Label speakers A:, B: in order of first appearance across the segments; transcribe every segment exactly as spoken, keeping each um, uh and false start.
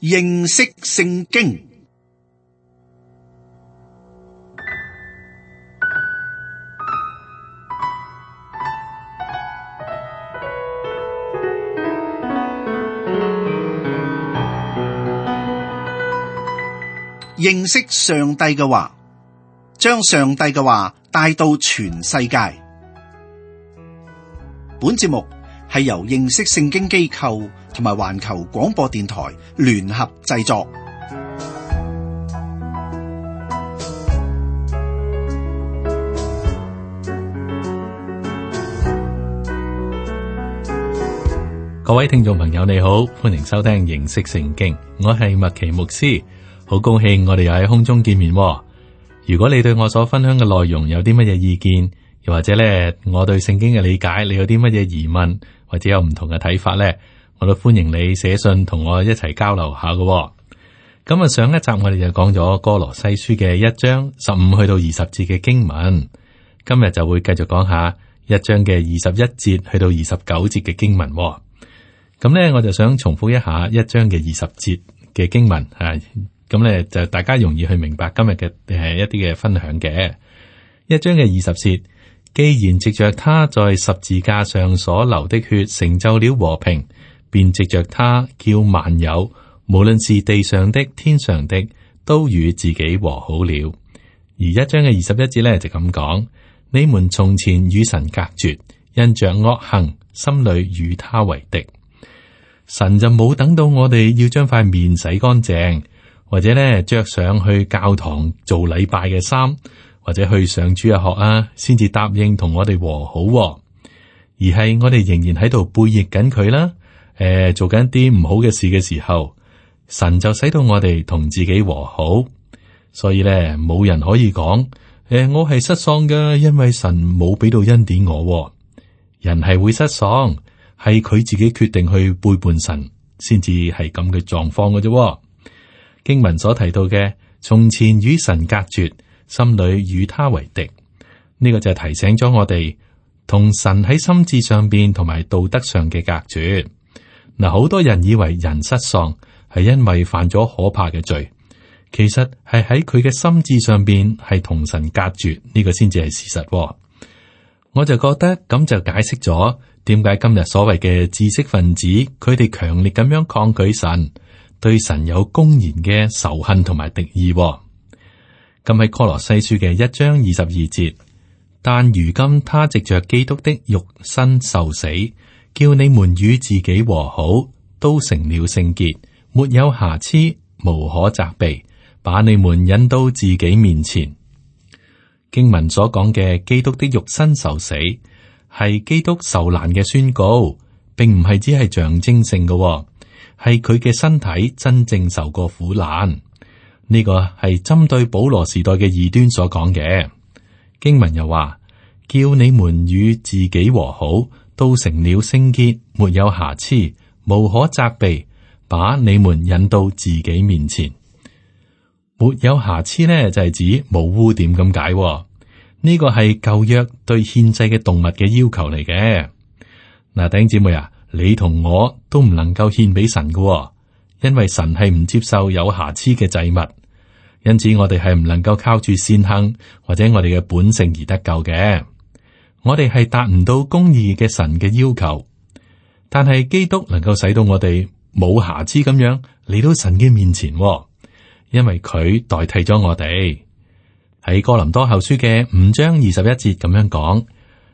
A: 認識聖經。認識上帝嘅話，將上帝嘅話帶到全世界。本節目係由認識聖經機構同埋環球廣播電台聯合製作。
B: 各位聽眾朋友你好，歡迎收聽認識聖經，我係麥奇牧師。好高興我哋又喺空中見面。如果你對我所分享嘅內容有啲乜嘢意見，又或者咧我對聖經嘅理解，你有啲乜嘢疑問，或者有唔同嘅睇法咧，我都歡迎你寫信同我一齊交流下嘅。咁啊，上一集我哋就講咗哥羅西書嘅一章十五去到二十節嘅經文，今日就會繼續講下一章嘅二十一節去到二十九節嘅經文。咁咧，我就想重複一下一章嘅二十節嘅經文啊。咁咧就大家容易去明白今日嘅誒一啲嘅分享嘅。一章嘅二十節，既然藉着他在十字架上所流的血成就了和平，便藉着他叫萬有，無論是地上的天上的，都與自己和好了。而一章嘅二十一節咧就咁講：你們從前與神隔絕，因着惡行，心裏與他為敵。神就冇等到我哋要將塊面洗乾淨，或者咧着上去教堂做禮拜嘅衫，或者去上主日學啊，先至答應同我哋和好，而係我哋仍然喺度背逆緊佢啦。誒、呃，做緊啲唔好嘅事嘅時候，神就使到我哋同自己和好。所以咧，冇人可以講，誒、呃，我係失喪㗎，因為神冇俾到恩典我。人係會失喪，係佢自己決定去背叛神，先至係咁嘅狀況嘅啫。經文所提到嘅，從前與神隔絕，心裏與他為敵，呢、這個就係提醒咗我哋同神喺心智上邊同埋道德上嘅隔絕。嗱，好多人以為人失喪係因為犯咗可怕嘅罪，其實係喺佢嘅心智上邊係同神隔絕，呢、這個先至係事實。我就覺得咁就解釋咗點解今日所謂嘅知識分子，佢哋強烈咁樣抗拒神，對神有公然嘅仇恨同埋敵意。咁喺哥羅西書嘅一章二十二節，但如今他藉着基督的肉身受死，叫你們與自己和好，都成了聖潔，沒有瑕疵，無可責備，把你們引到自己面前。經文所講嘅基督的肉身受死，係基督受難嘅宣告，並唔係只係象徵性嘅。係佢嘅身體真正受過苦難，呢個係針對保羅時代嘅異端所講嘅。經文又話，叫你們與自己和好，都成了聖潔，沒有瑕疵，無可責備，把你們引到自己面前。沒有瑕疵呢，就係指冇污點咁解。呢個係舊約對獻祭嘅動物嘅要求嚟嘅。嗱，弟兄姊妹啊，你同我都唔能夠獻俾神嘅，因為神係唔接受有瑕疵嘅祭物，因此我哋係唔能夠靠住善行或者我哋嘅本性而得救嘅。我哋係達唔到公義嘅神嘅要求，但係基督能夠使到我哋冇瑕疵咁樣嚟到神嘅面前，因為佢代替咗我哋。喺哥林多後書嘅五章二十一節咁樣講，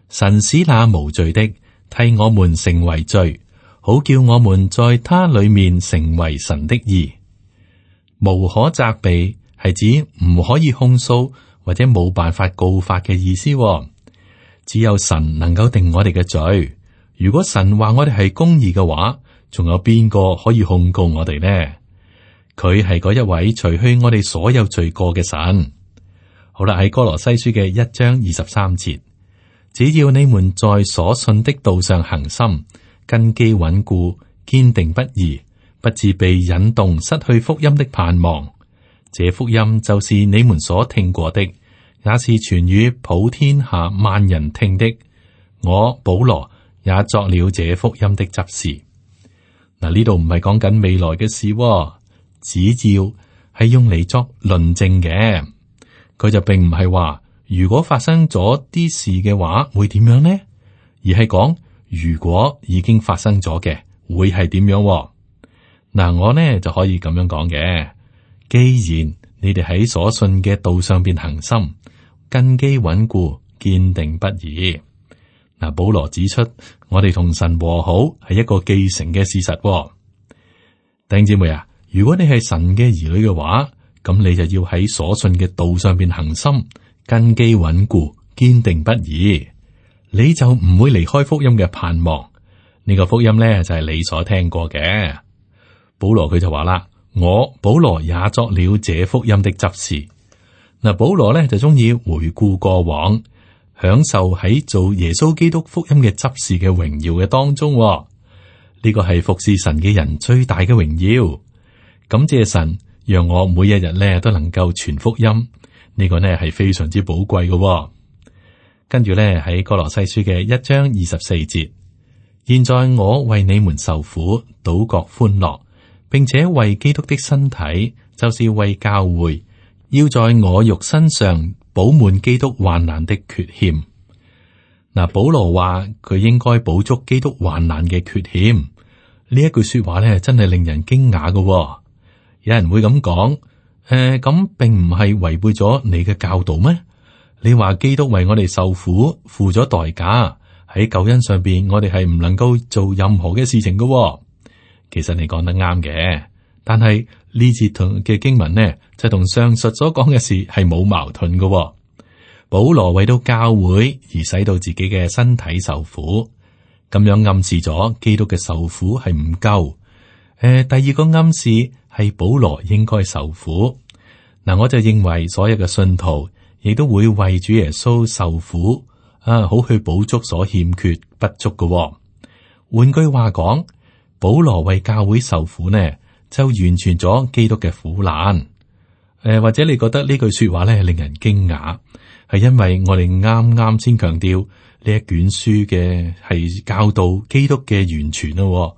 B: 神使那無罪的替我們成為罪，好叫我們在他裏面成為神的義。無可責備係指唔可以控訴或者冇辦法告發嘅意思。只有神能夠定我哋嘅罪。如果神話我哋係公義嘅話，仲有邊個可以控告我哋呢？佢係嗰一位除去我哋所有罪過嘅神。好啦，喺哥羅西書嘅一章二十三節，只要你們在所信的道上恒心，根基穩固，堅定不移，不致被引動失去福音的盼望。這福音就是你們所聽過的，也是傳與普天下萬人聽的。我保羅也作了這福音的執事。嗱，呢度唔係講緊未來嘅事，指照，係用嚟作論證嘅。佢就並唔係話如果發生咗啲事嘅話會點樣呢？而係講如果已經發生咗嘅會係點樣。嗱，我呢就可以咁樣講嘅。既然你哋喺所信嘅道上邊恒心，根基穩固，堅定不移。嗱，保羅指出，我哋同神和好係一個既成嘅事實。弟兄姊妹啊，如果你係神嘅兒女嘅話，咁你就要喺所信嘅道上邊恒心，根基穩固，堅定不移，你就唔會離開福音嘅盼望。呢個福音咧就係你所聽過嘅。保羅佢就話啦，我保羅也作了這福音的執事。嗱，保羅咧就中意回顧過往，享受喺做耶穌基督福音嘅執事嘅榮耀嘅當中。呢個係服侍神嘅人最大嘅榮耀。感謝神，讓我每一日咧都能夠傳福音。呢個呢係非常之寶貴嘅。跟住咧喺哥羅西書嘅一章二十四節，現在我為你們受苦，倒覺歡樂，並且為基督的身體，就是為教會，要在我肉身上補滿基督患難的缺欠。嗱，保羅話佢應該補足基督患難嘅缺欠。呢一句說話咧，真係令人驚訝嘅。有人會咁講，誒、呃，咁並唔係違背咗你嘅教導咩？你話基督為我哋受苦，付咗代價，喺救恩上邊，我哋係唔能夠做任何嘅事情嘅。其實你講得啱嘅，但係呢節同嘅經文呢，就同上述所講嘅事係冇矛盾嘅。保羅為到教會而使到自己嘅身體受苦，咁樣暗示咗基督嘅受苦係唔夠。誒、呃，第二個暗示係保羅應該受苦。嗱，我就認為所有嘅信徒亦都會為主耶穌受苦啊，好去補足所欠缺不足嘅。換句話講，保羅為教會受苦呢，就完全咗基督嘅苦難。誒、呃，或者你覺得呢句說話咧令人驚訝，係因為我哋啱啱先強調呢一卷書嘅係教導基督嘅完全咯。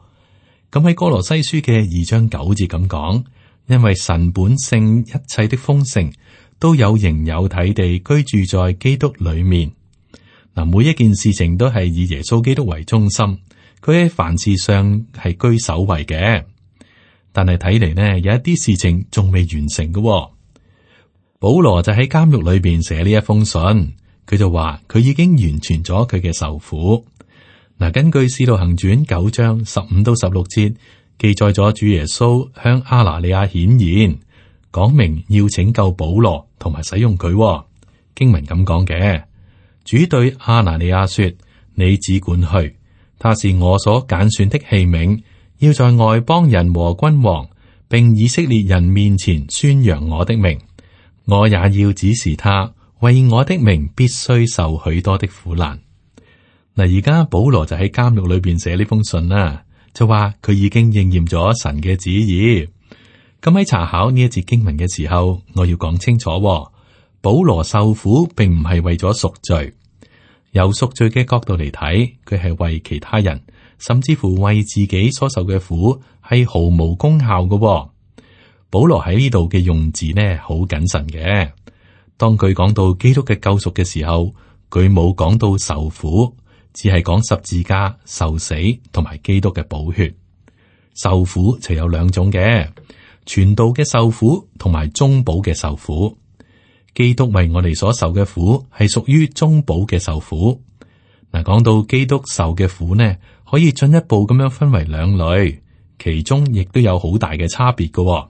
B: 咁喺哥羅西書嘅二章九節咁講，因為神本性一切的豐盛都有形有體地居住在基督裏面。嗱，每一件事情都係以耶穌基督為中心，佢喺凡事上係居首位嘅。但係睇嚟呢，有一啲事情仲未完成嘅。保羅就喺監獄裏邊寫呢一封信，佢就話佢已經完全咗佢嘅受苦。嗱，根據《使徒行傳》九章十五到十六節記載咗主耶穌向亞拿尼亞顯現，講明要拯救保羅同埋使用佢。經文咁講嘅，主對亞拿尼亞說：你只管去，他是我所揀選的器皿，要在外邦人和君王並以色列人面前宣揚我的名。我也要指示他，為我的名必須受許多的苦難。嗱，而家保羅就喺監獄裏邊寫呢封信啦，就話佢已經應驗咗神嘅旨意。咁喺查考呢一節經文嘅時候，我要講清楚，保羅受苦並唔係為咗贖罪，由贖罪嘅角度嚟睇，佢係為其他人，甚至乎為自己所受嘅苦係毫無功效嘅。保羅喺呢度嘅用字呢，好謹慎嘅。當佢講到基督嘅救贖嘅時候，佢冇講到受苦，只係講十字架、受死同埋基督嘅寶血。受苦就有兩種嘅，傳道嘅受苦同埋中保嘅受苦。基督為我哋所受嘅苦係屬於中保嘅受苦。嗱，講到基督受嘅苦呢，可以進一步咁樣分為兩類，其中亦都有好大嘅差別嘅。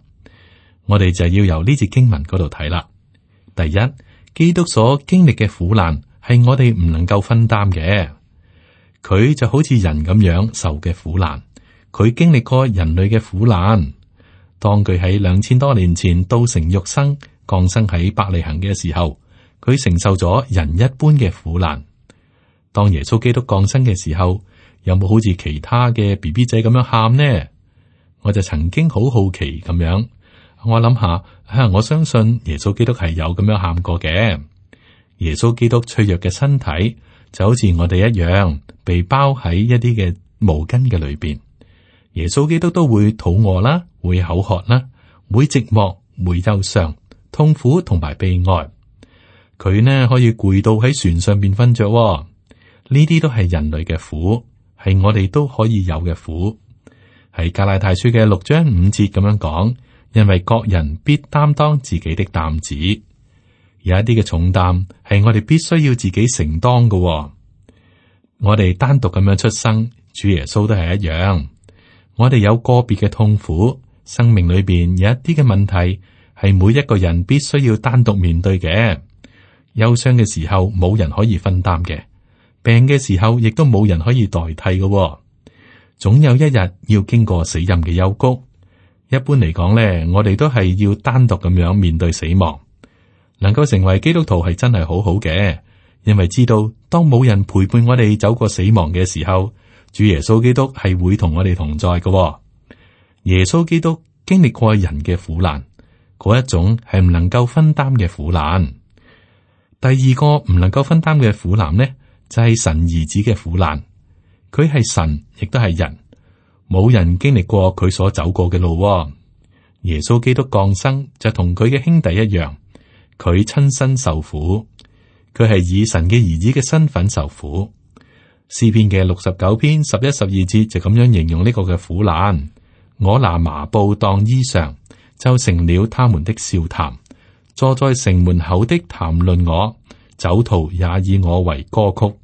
B: 我哋就要由呢節經文嗰度睇啦。第一，基督所經歷嘅苦難係我哋唔能夠分擔嘅。佢就好似人咁樣受嘅苦難，佢經歷過人類嘅苦難。當佢喺兩千多年前道成肉身降生喺伯利恆嘅時候，佢承受咗人一般嘅苦難。當耶穌基督降生嘅時候，有冇好似其他嘅 B B 仔咁樣喊呢？我就曾經好好奇咁樣。我諗下，吓，我相信耶穌基督係有咁樣喊過嘅。耶穌基督脆弱嘅身體就好似我哋一樣，被包喺一啲嘅毛巾嘅裏邊。耶穌基督都會肚餓啦，會口渴啦，會寂寞、會憂傷、痛苦同埋悲哀。佢呢可以攰到喺船上邊瞓着，呢啲都係人類嘅苦，係我哋都可以有嘅苦。喺加拉太書嘅六章五節咁樣講，因為各人必擔當自己的擔子，有一啲嘅重擔係我哋必須要自己承擔嘅。我哋單獨咁樣出生，主耶穌都係一樣。我哋有個別嘅痛苦，生命裏邊有一啲嘅問題係每一個人必須要單獨面對嘅。憂傷嘅時候冇人可以分擔嘅，病嘅時候亦都冇人可以代替嘅。總有一日要經過死蔭嘅幽谷。一般嚟講咧，我哋都係要單獨咁樣面對死亡。能夠成為基督徒係真係好好嘅，因為知道當冇人陪伴我哋走過死亡嘅時候，主耶穌基督係會同我哋同在嘅。耶穌基督經歷過人嘅苦難，嗰一種係唔能夠分擔嘅苦難。第二個唔能夠分擔嘅苦難呢，就係神兒子嘅苦難。佢係神，亦都係人，冇人經歷過佢所走過嘅路。耶穌基督降生就同佢嘅兄弟一樣，佢親身受苦，佢係以神嘅兒子嘅身份受苦。詩篇嘅六十九篇十一、十二節就咁樣形容呢個嘅苦難：我拿麻布當衣裳，就成了他們的笑談。坐在城門口的談論我，酒徒也以我為歌曲。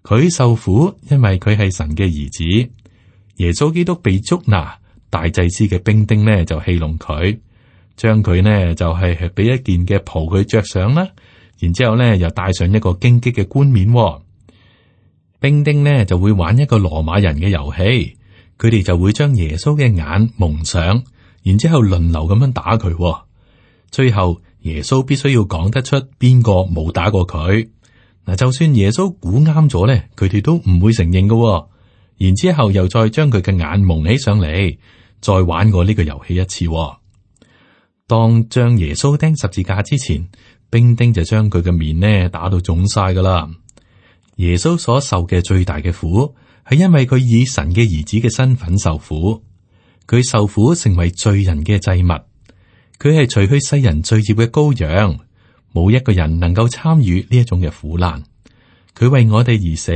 B: 佢受苦，因為佢係神嘅兒子。耶穌基督被捉拿，大祭司嘅兵丁呢就戲弄佢，將佢呢就係係俾一件嘅袍佢着上啦，然之後呢又戴上一個荊棘嘅冠冕。兵丁呢就會玩一個羅馬人嘅遊戲，佢哋就會將耶穌嘅眼蒙上，然之後輪流咁樣打佢。最後耶穌必須要講得出邊個冇打過佢。嗱，就算耶穌估啱咗咧，佢哋都唔會承認嘅。然之後又再將佢嘅眼蒙起上嚟，再玩過呢個遊戲一次。當將耶穌釘十字架之前，兵丁就將佢嘅面呢打到腫晒噶啦。耶穌所受嘅最大嘅苦，係因為佢以神嘅兒子嘅身份受苦，佢受苦成為罪人嘅祭物。佢係除去世人罪孽嘅羔羊，冇一個人能夠參與呢一種嘅苦難。佢為我哋而死，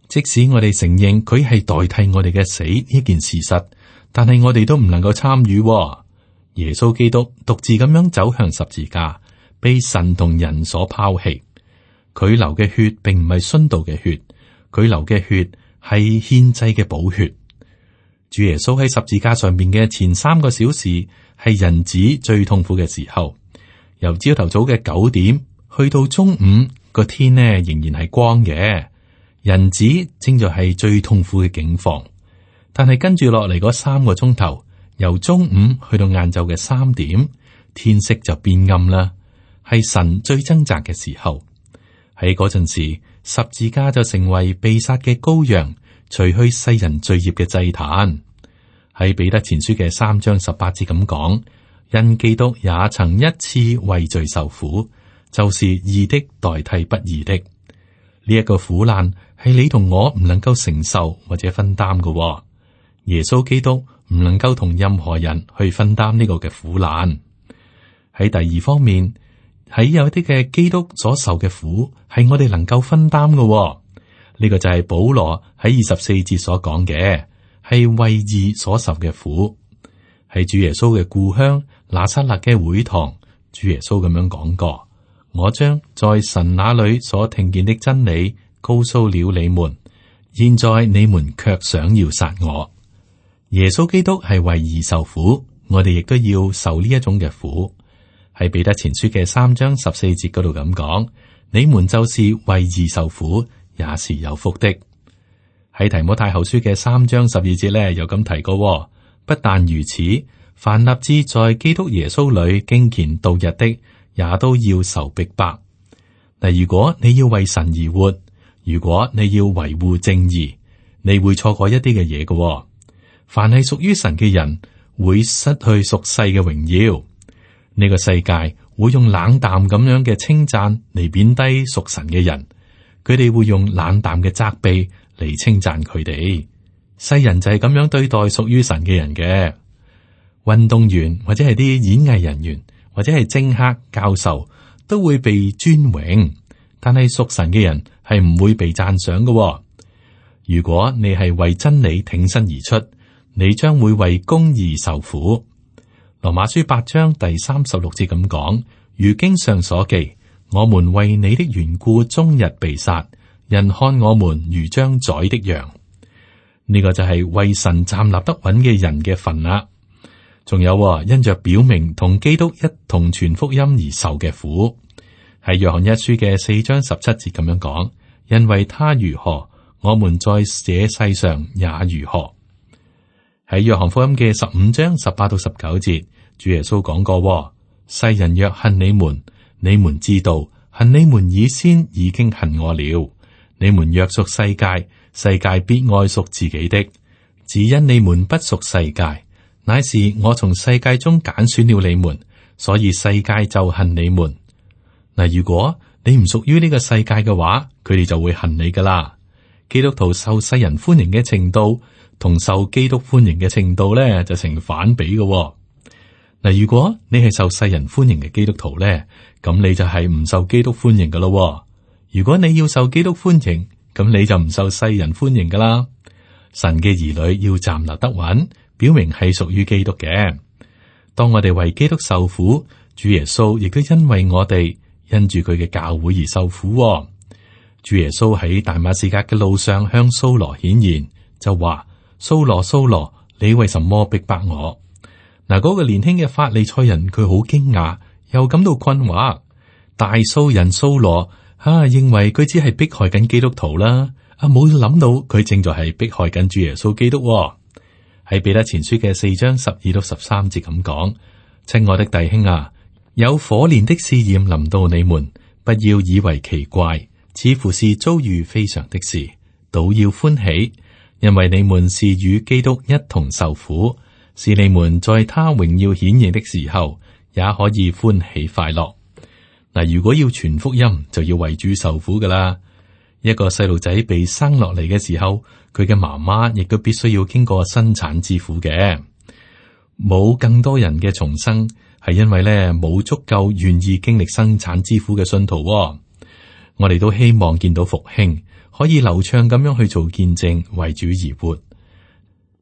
B: 即使我哋承認佢係代替我哋嘅死呢件事實，但係我哋都唔能夠參與。耶穌基督獨自咁樣走向十字架，被神同人所拋棄。佢流嘅血並唔係殉道嘅血，佢流嘅血係獻祭嘅寶血。主耶穌喺十字架上面嘅前三個小時，係人子最痛苦嘅時候。由朝頭早嘅九點去到中午，個天呢仍然係光嘅，人子正在係最痛苦嘅境況。但係跟住落嚟嗰三個鐘頭，由中午去到晏晝嘅三點，天色就變暗啦，係神最掙扎嘅時候。喺嗰陣時，十字架就成為被殺嘅羔羊，除去世人罪孽嘅祭壇。喺彼得前書嘅三章十八節咁講，因基督也曾一次為罪受苦，就是義的代替不義的。呢、這、一個苦難係你同我唔能夠承受或者分擔嘅、哦。耶穌基督唔能夠同任何人去分擔呢個嘅苦難。喺第二方面，喺有啲嘅基督所受嘅苦係我哋能夠分擔嘅、哦。呢、這個就係保羅喺二十四節所講嘅。係為義所受嘅苦，係主耶穌嘅故鄉拿撒勒嘅會堂。主耶穌咁樣講過：我將在神那裏所聽見的真理告訴了你們，現在你們卻想要殺我。耶穌基督係為義受苦，我哋亦都要受呢一種嘅苦。喺彼得前書嘅三章十四節嗰度咁講：你們就是為義受苦，也是有福的。喺提摩太後書嘅三章十二節咧，有咁提過。不但如此，凡立志在基督耶穌裏敬虔度日的，也都要受逼迫。嗱，如果你要為神而活，如果你要維護正義，你會錯過一啲嘅嘢嘅。凡係屬於神嘅人，會失去屬世嘅榮耀。呢個世界會用冷淡咁樣嘅稱讚嚟貶低屬神嘅人，佢哋會用冷淡嘅責備嚟稱讚佢哋。世人就係咁樣對待屬於神嘅人嘅。運動員或者係啲演藝人員或者係政客、教授都會被尊榮，但係屬神嘅人係唔會被讚賞嘅。如果你係為真理挺身而出，你將會為公義受苦。羅馬書八章第三十六節咁講，如經上所記，我們為你的緣故終日被殺，人看我們如將宰的羊。呢、這個就係為神站立得穩嘅人嘅份啦。仲有因着表明同基督一同傳福音而受嘅苦，喺約翰一書嘅四章十七節咁樣講，因為他如何，我們在這世上也如何。喺約翰福音嘅十五章十八到十九節，主耶穌講過，世人若恨你們，你們知道恨你們以先已經恨我了。你們若屬世界，世界必愛屬自己的。只因你們不屬世界，乃是我從世界中揀選了你們，所以世界就恨你們。嗱，如果你唔屬於呢個世界嘅話，佢哋就會恨你噶啦。基督徒受世人歡迎嘅程度，同受基督歡迎嘅程度咧，就成反比嘅。嗱，如果你係受世人歡迎嘅基督徒咧，咁你就係唔受基督歡迎噶咯。如果你要受基督歡迎，咁你就唔受世人歡迎噶啦。神嘅兒女要站立得穩，表明係屬於基督嘅。當我哋為基督受苦，主耶穌亦都因為我哋因住佢嘅教會而受苦。主耶穌喺大馬士革嘅路上向掃羅顯現，就話：掃羅，掃羅，你為什麼逼迫我？嗱，嗰個年輕嘅法利賽人佢好驚訝，又感到困惑。大數人掃羅啊，認為佢只係迫害緊基督徒啦，啊冇諗到佢正在係迫害緊主耶穌基督。喺彼得前書嘅四章十二到十三節咁講：親愛的弟兄啊，有火煉的試驗臨到你們，不要以為奇怪，似乎是遭遇非常的事，倒要歡喜，因為你們是與基督一同受苦，是你們在他榮耀顯現的時候，也可以歡喜快樂。嗱，如果要傳福音，就要為主受苦噶啦。一個細路仔被生落嚟嘅時候，佢嘅媽媽亦都必須要經過生產之苦嘅。冇更多人嘅重生，係因為咧冇足夠願意經歷生產之苦嘅信徒。我哋都希望見到復興，可以流暢咁樣去做見證，為主而活。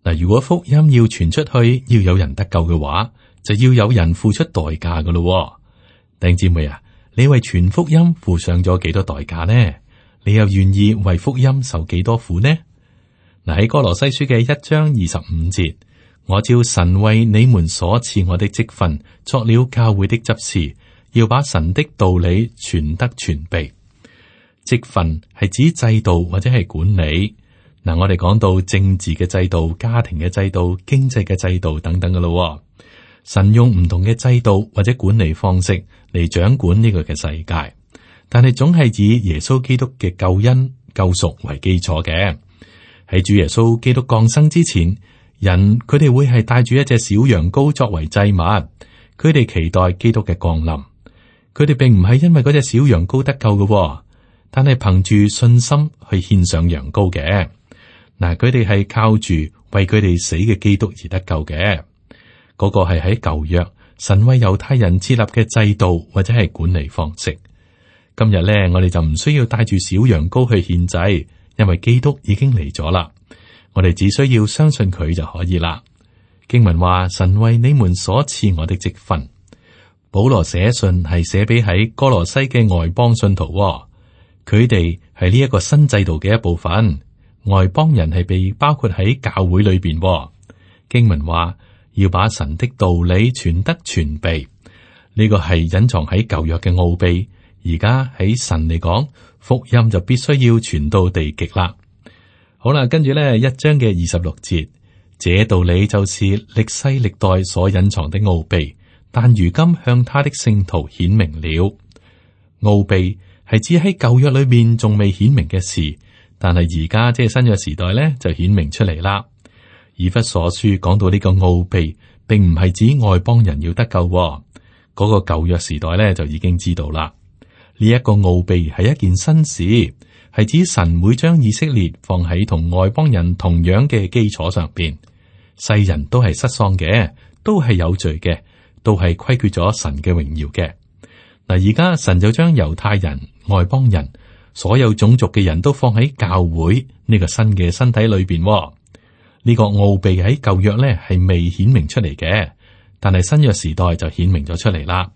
B: 嗱，如果福音要傳出去，要有人得救嘅話，就要有人付出代價噶咯。弟兄姊妹啊，你為傳福音付上咗幾多代價呢？你又願意為福音受幾多苦呢？嗱，喺哥羅西書嘅一章二十五節，我照神為你們所賜我的職分，作了教會的執事，要把神的道理傳得全備。職分係指制度或者係管理。嗱，我哋講到政治嘅制度、家庭嘅制度、經濟嘅制度等等噶咯。神用唔同嘅制度或者管理方式嚟掌管呢個嘅世界，但係總係以耶穌基督嘅救恩救贖為基礎嘅。喺主耶穌基督降生之前，人佢哋會係帶住一隻小羊羔作為祭物，佢哋期待基督嘅降臨。佢哋並唔係因為嗰隻小羊羔得救嘅，但係憑住信心去獻上羊羔嘅。嗱，佢哋係靠住為佢哋死嘅基督而得救嘅。嗰個係喺舊約神為猶太人設立嘅制度或者係管理方式。今日咧，我哋就唔需要帶住小羊羔去獻祭，因為基督已經嚟咗啦。我哋只需要相信佢就可以啦。經文話：神為你們所賜我的職分。保羅寫信係寫俾喺哥羅西嘅外邦信徒，佢哋係呢一個新制度嘅一部分。外邦人係被包括喺教會裏邊。經文話要把神的道理傳得全備，呢個係隱藏喺舊約嘅奧秘。而家喺神嚟講，福音就必須要傳到地極啦。好啦，跟住咧一章嘅二十六節，這道理就是歷世歷代所隱藏的奧秘，但如今向他的聖徒顯明了。奧秘係指喺舊約裏面仲未顯明嘅事。但係而家即係新約時代咧，就顯明出嚟啦。以弗所書講到呢個奧秘，並唔係指外邦人要得救，嗰個舊約時代咧就已經知道啦。呢一個奧秘係一件新事，係指神會將以色列放喺同外邦人同樣嘅基礎上邊。世人都係失喪嘅，都係有罪嘅，都係虧缺咗神嘅榮耀嘅。嗱，而家神就將猶太人、外邦人、所有種族嘅人都放喺教會呢個新嘅身體裏邊。呢個奧秘喺舊約咧係未顯明出嚟嘅，但係新約時代就顯明咗出嚟啦。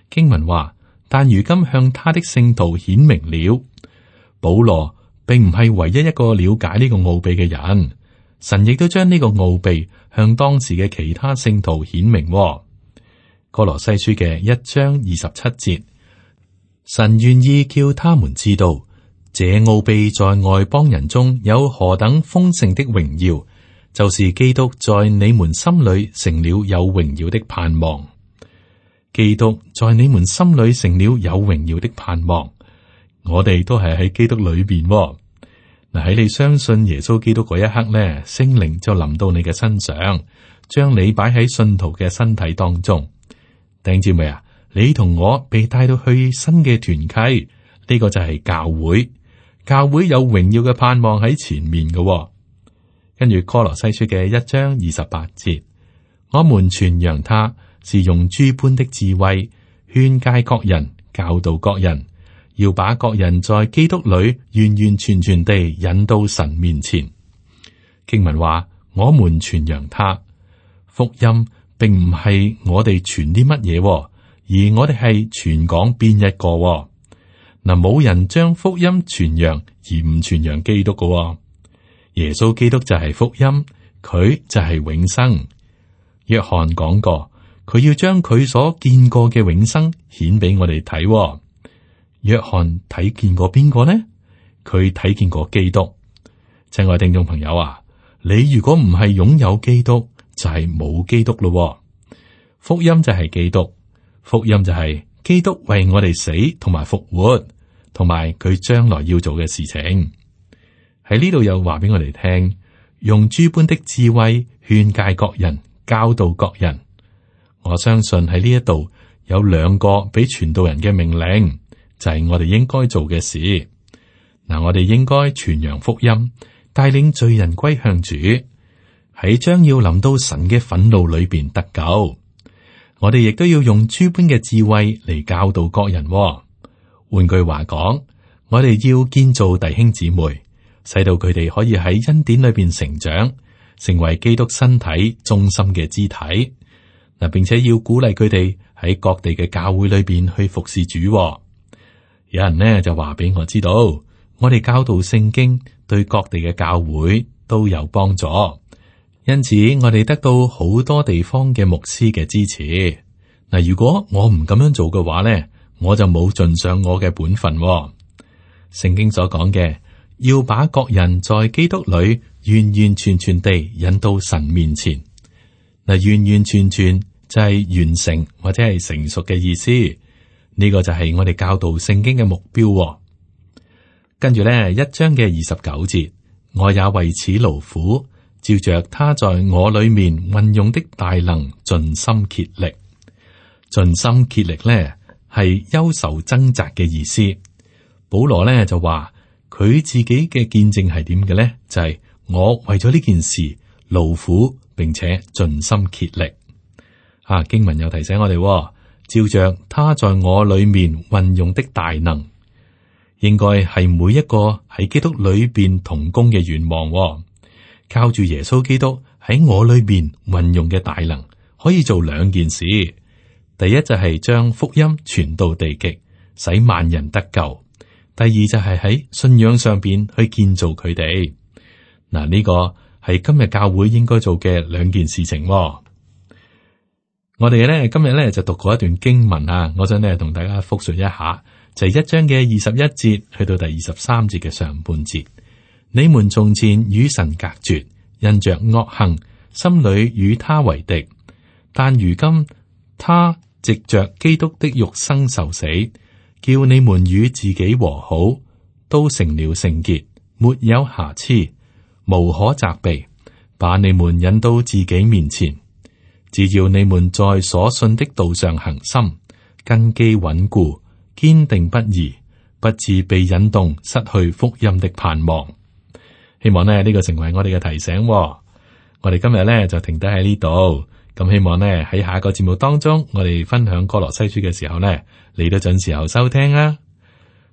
B: 經文話，但如今向他的聖徒顯明了。保羅並唔係唯一一個了解呢個奧秘嘅人，神亦都將呢個奧秘向當時嘅其他聖徒顯明。哥羅西書嘅一章二十七節，神願意叫他們知道，這奧秘在外邦人中有何等豐盛的榮耀，就是基督在你們心裏成了有榮耀的盼望。基督在你們心裏成了有榮耀的盼望，我哋都係喺基督裏邊。嗱，喺你相信耶穌基督嗰一刻咧，聖靈就臨到你嘅身上，將你擺喺信徒嘅身體當中。弟兄姊妹啊，你同我被帶到去新嘅團契，呢個就係教會。教會有榮耀嘅盼望喺前面嘅。跟住哥羅西書嘅一章二十八節，我們傳揚他是用諸般的智慧勸誡各人，教導各人，要把各人在基督裏完完全全地引到神面前。經文話，我們傳揚他，福音並唔係我哋傳啲乜嘢，而我哋係傳講邊一個。嗱，冇人將福音傳揚而唔傳揚基督嘅。耶穌基督就係福音，佢就係永生。約翰講過，佢要將佢所見過嘅永生顯俾我哋睇。約翰睇見過邊個呢？佢睇見過基督。親愛聽眾朋友啊，你如果唔係擁有基督，就係冇基督咯。福音就係基督，福音就係基督為我哋死同埋復活，同埋佢將來要做嘅事情。喺呢度又話俾我哋聽，用諸般的智慧勸誡各人，教導各人。我相信喺呢一度有兩個俾傳道人嘅命令，就係我哋應該做嘅事。嗱，我哋應該傳揚福音，帶領罪人歸向主，喺將要臨到神嘅憤怒裏邊得救。我哋亦都要用諸般嘅智慧嚟教導各人。換句話講，我哋要建造弟兄姊妹，使到佢哋可以喺恩典裏邊成長，成為基督身體中心嘅肢體。嗱，並且要鼓勵佢哋喺各地嘅教會裏邊去服侍主。有人呢就話俾我知道，我哋教導聖經對各地嘅教會都有幫助，因此我哋得到好多地方嘅牧師嘅支持。嗱，如果我唔咁樣做嘅話呢，我就冇盡上我嘅本分。聖經所講嘅，要把各人在基督裏完完全全地引到神面前。嗱，完完全全就係完成或者係成熟嘅意思。呢個就係我哋教導聖經嘅目標。跟住咧，一章嘅二十九節，我也為此勞苦，照着他在我裏面運用的大能，盡心竭力。盡心竭力咧係憂愁掙扎嘅意思。保羅咧就話佢自己嘅見證係點嘅咧？就係、是、我為咗呢件事勞苦，並且盡心竭力。啊，經文又提醒我哋，照着他在我裏面運用的大能，應該係每一個喺基督裏邊同工嘅願望。靠住耶穌基督喺我裏邊運用嘅大能，可以做兩件事。第一就係將福音傳到地極，使萬人得救。第二就係喺信仰上邊去建造佢哋。嗱，呢個係今日教會應該做嘅兩件事情。我哋咧今日咧就讀過一段經文啊，我想咧同大家複述一下，就係、是、一章嘅二十一節去到第二十三節嘅上半節。你們從前與神隔絕，因着惡行，心裏與他為敵，但如今他藉着基督的肉身受死，叫你們與自己和好，都成了聖潔，沒有瑕疵，無可責備，把你們引到自己面前。只要你們在所信的道上恒心，根基穩固，堅定不移，不致被引動，失去福音的盼望。希望呢呢個成為我哋嘅提醒。我哋今日呢就停低喺呢度，咁希望呢，喺下一個節目當中，我哋分享歌羅西書嘅時候呢，你都準時候收聽啊！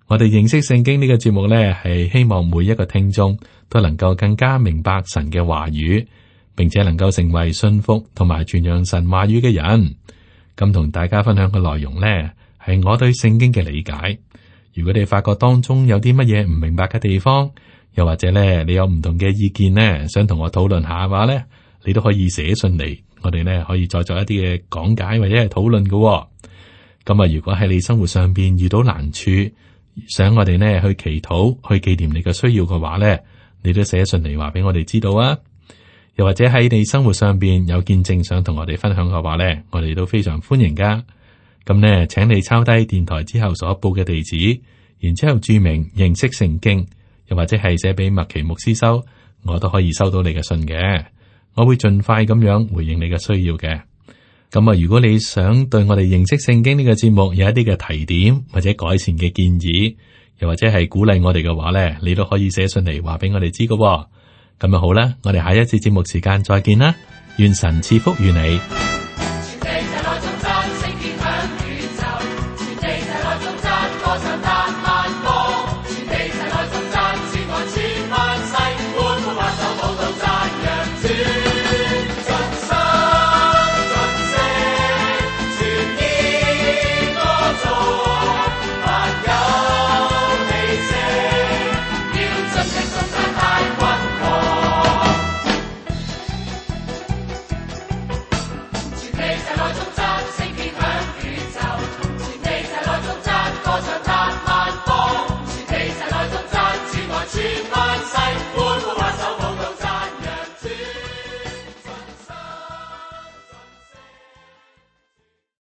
B: 我哋認識聖經呢個節目呢，係希望每一個聽眾都能夠更加明白神嘅話語，並且能夠成為信服同埋傳揚神話語嘅人。咁同大家分享嘅內容呢，係我對聖經嘅理解。如果你發覺當中有啲乜嘢唔明白嘅地方，又或者咧你有唔同嘅意見呢，想同我討論下嘅話呢，你都可以寫信嚟。我哋咧可以再做一啲嘅講解或者係討論嘅。咁啊，如果喺你生活上邊遇到難處，想我哋呢去祈禱、去紀念你嘅需要嘅話咧，你都寫信嚟話俾我哋知道啊。又或者喺你生活上邊有見證想同我哋分享嘅話咧，我哋都非常歡迎噶。咁呢，請你抄低電台之後所報嘅地址，然之後注明認識聖經，又或者係寫俾麥奇牧師收，我都可以收到你嘅信嘅。我會盡快咁樣回應你嘅需要嘅。咁啊，如果你想對我哋認識聖經呢個節目有一啲嘅提點或者改善嘅建議，又或者係鼓勵我哋嘅話呢，你都可以寫信嚟話俾我哋知㗎。咁啊好啦，我哋下一次節目時間再見啦，願神賜福於你。